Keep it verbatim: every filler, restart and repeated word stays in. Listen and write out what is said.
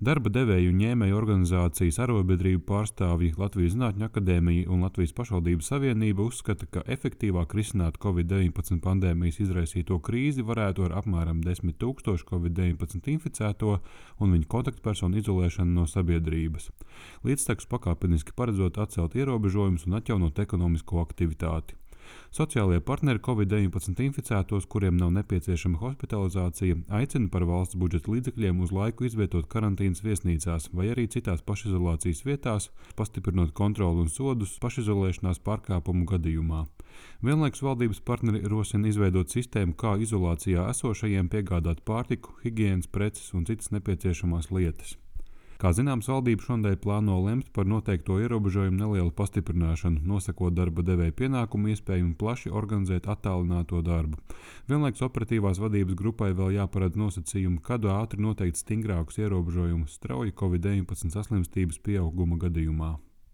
Darba devēju un ņēmēju organizācijas, arotbiedrību pārstāvji, Latvijas Zinātņu akadēmija un Latvijas pašvaldību savienība uzskata, ka efektīvāk risināt covid deviņpadsmit pandēmijas izraisīto krīzi varētu ar apmēram desmit tūkstošu covid deviņpadsmit inficēto un viņu kontaktpersonu izolēšanu no sabiedrības, līdztekus pakāpeniski paredzot atcelt ierobežojumus un atjaunot ekonomisko aktivitāti. Sociālie partneri covid deviņpadsmit inficētos, kuriem nav nepieciešama hospitalizācija, aicina par valsts budžeta līdzekļiem uz laiku izvietot karantīnas viesnīcās vai arī citās pašizolācijas vietās, pastiprinot kontroli un sodus pašizolēšanās pārkāpumu gadījumā. Vienlaikus valdības partneri rosina izveidot sistēmu, kā izolācijā esošajiem piegādāt pārtiku, higienas preces un citas nepieciešamās lietas. Kā zināms, valdība šonadēļ plāno lemt par noteikto ierobežojumu nelielu pastiprināšanu, nosakot darba devēja pienākumu iespēju un plaši organizēt attālināto darbu. Vienlaikus operatīvās vadības grupai vēl jāparedz nosacījumi, kad ātri noteikt stingrākus ierobežojumus strauji covid deviņpadsmit saslimstības pieauguma gadījumā.